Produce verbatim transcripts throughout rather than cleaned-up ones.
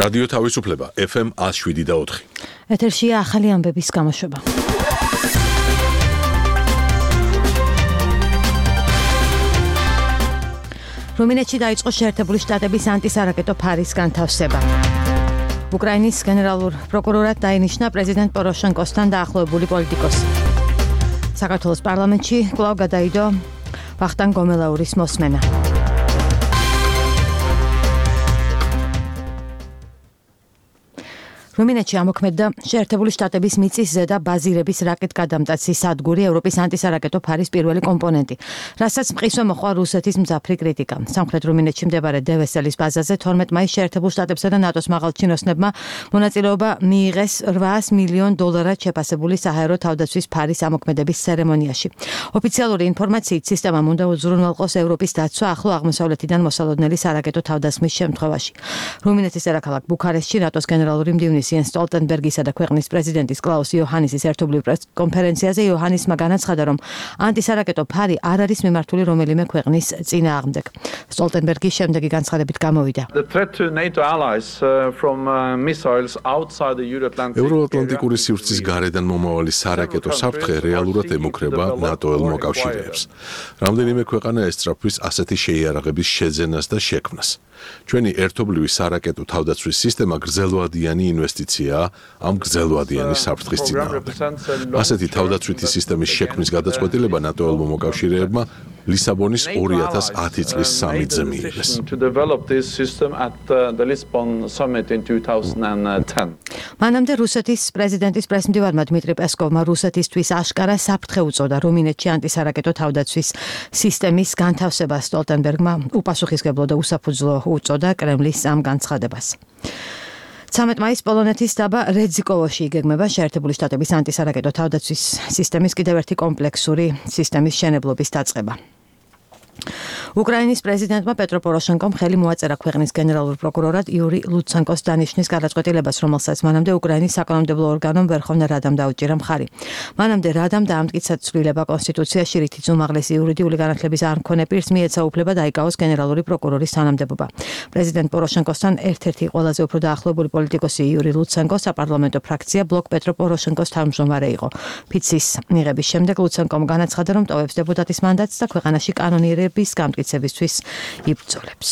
რადიო თავისუფლება ეფ ემ one oh seven და four. ეთერშია ახალი ამბების გამოშვება. რუმინეთში დაიწყო შეერთებული შტატების ანტისარაკეტო ფარის განთავსება. უკრაინის გენერალურ პროკურორად დაინიშნა პრეზიდენტ პოროშენკოსთან დაახლოებული პოლიტიკოსი. საქართველოს პარლამენტში კვლავ გადაიდო ვახტანგ გომელაურის მოსმენა. რუმინეთში ამოქმედდა შეერთებული შტატების მიწის ზედა ბაზირების რაკეტგადამტაცის სადგური ევროპის ანტისარაკეტო ფარის პირველი კომპონენტი, რასაც მყისვე მოჰყვა რუსეთის მძაფრი კრიტიკა. სამხრეთ რუმინეთში მდებარე დევესელის ბაზაზე თორმეტ მაისს შეერთებულ შტატებსა და ნატოს მაღალჩინოსნებმა მონაწილეობა მიიღეს eight მილიონ დოლარად შეფასებული საჰაერო თავდაცვის ფარის ამოქმედების ცერემონიაში. ოფიციალური ინფორმაციით სისტემამ უნდა უზრუნველყოს ევროპის დაცვა ახლო აღმოსავლეთიდან მოსალოდნელი სარაკეტო თავდასხმის შემთხვევაში. რუმინეთის დედაქალაქ ბუქარესტში ნატოს გენერალური მდივნის იენს სტოლტენბერგისა და ქვეყნის პრეზიდენტის კლაუს იოჰანისის ერთობლივ პრესკონფერენციაზე იოჰანისმა განაცხადა, რომ ანტისარაკეტო ფარი არ არის მიმართული რომელიმე ქვეყნის წინააღმდეგ. სტოლტენბერგის შემდეგი განცხადებით გამოვიდა. ევროატლანტიკური სივრცის გარედან მომავალი სარაკეტო საფრთხე რეალურად ემუქრება ნატოელ მოკავშირეებს. რამდენიმე ქვეყანა ესწრაფვის ასეთი შეიარაღების შეძენას და შექმნას. ჩვენი ერთობლივი სარაკეტო თავდაცვის სისტემა გრძელვადიანი ინვესტიციაა ამ გრძელვადიანი საფრთხის წინააღმდეგ. ასეთი თავდაცვითი სისტემის შექმნის გადაწყვეტილება ნატოელმა მოკავშირეებმა ლისაბონის two thousand ten წლის სამიტზე მიიღეს. მანამდე რუსეთის პრეზიდენტის პრესმდივარმა დმიტრი პესკოვმა რუსეთისთვის აშკარა საფრთხე უწოდა რუმინეთში ანტისარაკეტო თავდაცვის სისტემის განთავსებას. სტოლტენბერგმა უპასუხისმგებლო და უსაფუძვლო უწოდა კრემლის ამ განცხადებას. ცამეტ მაისს პოლონეთის დაბა რეძიკოვოში იგეგმება შეერთებული შტატების ანტისარაკეტო თავდაცვის სისტემის კიდევ ერთი კომპლექსური სისტემის შენებლობის დაწყება. უკრაინის პრეზიდენტმა პეტრო პოროშენკომ ხელი მოაწერა ქვეყნის გენერალურ პროკურორად იური ლუცენკოს დანიშვნის გადაწყვეტილებას, რომელსაც მანამდე უკრაინის საკანონმდებლო ორგანომ ვერხოვნა რადამ დაუჭირა მხარი. მანამდე რადამ დაამტკიცა ცვლილება კონსტიტუციაში, რითიც უმაღლესი იურიდიული განათლების არ მქონე პირს მიეცა უფლება დაიკავოს გენერალური პროკურორის თანამდებობა. პრეზიდენტ პოროშენკოსთან ერთ-ერთი ყველაზე უფრო დაახლოებული პოლიტიკოსი იური ლუცენკო საპარლამენტო ფრაქცია ბლოკ პეტრო პოროშენკოს თავმჯდომარე იყო. ფიცის მიღების შემდეგ ლუცენკომ განაცხადა, რომ ტოვებს დეპუტატის მანდატს და ქვეყანაში კანონიერების გამტკიცებისთვის იბრძოლებს.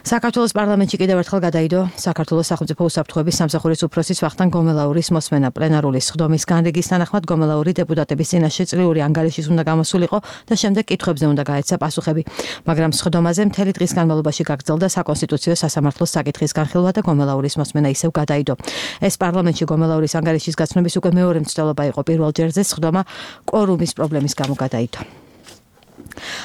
საქართველოს პარლამენტში კიდევ ერთხელ გადაიდო საქართველოს სახელმწიფო უსაფრთხოების სამსახურის უფროსის ვახტანგ გომელაურის მოსმენა. პლენარული სხდომის განრიგის თანახმად გომელაური დეპუტატების წინაშე წლიური ანგარიშის უნდა გამოსულიყო და შემდეგ კითხვებზე უნდა გაეცა პასუხები. მაგრამ სხდომაზე მთელი დღის განმავლობაში გაგრძელდა საკონსტიტუციო სასამართლოს საკითხის განხილვა და გომელაურის მოსმენა ისევ გადაიდო. ეს პარლამენტში გომელაურის ანგარიშის გაცნობის უკვე მეორე მცდელობა იყო. პირველ ჯერზე სხდომა კვორუმის პრობლემის გამო გადაიდო.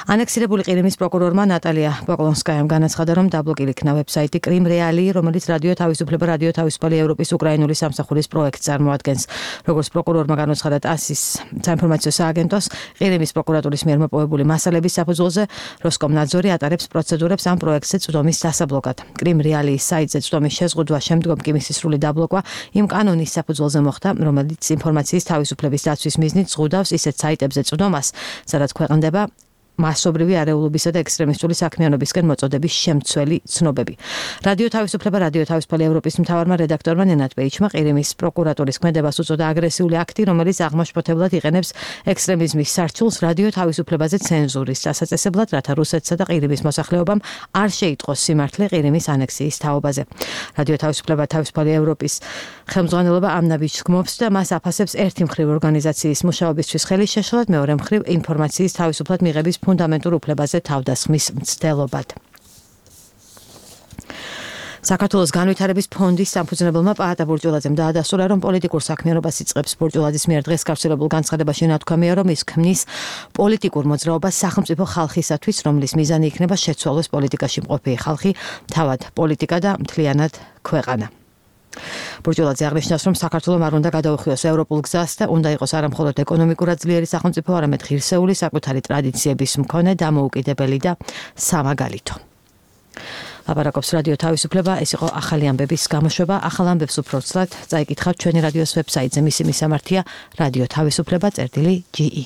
ანექსირებული ყირიმის პროკურორმა ნატალია პოკლონსკაიამ განაცხადა, რომ დაბლოკილი იქნა ვებსაიტი კრიმ რეალი, რომელიც რადიო თავისუფლება, რადიო თავისუფალი ევროპის უკრაინული სამსახურის პროექტს წარმოადგენს. როგორც პროკურორმა განაცხადა ტასის საინფორმაციო სააგენტოს, ყირიმის პროკურატურის მიერ მოპოვებული მასალების საფუძველზე როსკომნაძორი ატარებს პროცედურებს ამ პროექტზე წვდომის დასაბლოკად. კრიმ რეალიის საიტზე წვდომის შეზღუდვა შემდგომ კი მისი სრული დაბლოკვა იმ კანონის საფუძველზე მოხდა, რომელიც ინფორმაციის თავისუფლების დაცვის მიზნით ზღუდავს ისეთ საიტებზე წვდომას, სადაც ქვეყნდება მასობრივი არეულობისა და ექსტრემისტული საქმიანობისკენ მოწოდების შემცველი ცნობები. რადიო თავისუფლება, რადიო თავისუფალი ევროპის მთავარმა რედაქტორმა ნენად პეიჩმა ყირიმის პროკურატურის ქმედებას უწოდა აგრესიული აქტი, რომელიც აღმაშფოთებლად იყენებს ექსტრემიზმის სარჩულს რადიო თავისუფლებაზე ცენზურის დასაწესებლად, რათა რუსეთსა და ყირიმის მოსახლეობამ არ შეიტყოს სიმართლე ყირიმის ანექსიის თაობაზე. რადიო თავისუფლება, თავისუფალი ევროპის ხელმძღვანელობა ამ ნაბიჯს გმობს და მას აფასებს ერთი მხრივ ორგანიზაციის მუშაობისთვის ხელის შეშლად, მეორე მხრივ ინფორმაციის თავისუფლად მიღების ფუნდამენტურ უფლებაზე თავდასხმის მცდელობად. საქართველოს განვითარების ფონდის სამფუძნებელმა პაატა ბურჯულაძემ დაადასტურა, რომ პოლიტიკურ საქმიანობას იწყებს. ბურჯულაძის მიერ დღეს გავრცელებულ განცხადებაში ნათქვამია, რომ ის ქმნის პოლიტიკურ მოძრაობას სახელმწიფო ხალხისათვის, რომლის მიზანი იქნება შეცვალოს პოლიტიკაში მყოფი ხალხი, თავად პოლიტიკა და მთლიანად ქვეყანა. ბურჯულაძე აღნიშნავს, რომ საქართველომ არ უნდა გადაუხვიოს ევროპულ გზას და უნდა იყოს არა მხოლოდ ეკონომიკურად ძლიერი სახელმწიფო, არამედ ღირსეული, საკუთარი ტრადიციების მქონე, დამოუკიდებელი და სამაგალითო. ლაპარაკობს რადიო თავისუფლება, ეს იყო ახალი ამბების გამოშვება. ახალ ამბებს უფრო ცლად წაიკითხავთ ჩვენი რადიოს ვებსაიტზე. მისი მისამართია რადიო თავისუფლება წერტილი ჯი ი.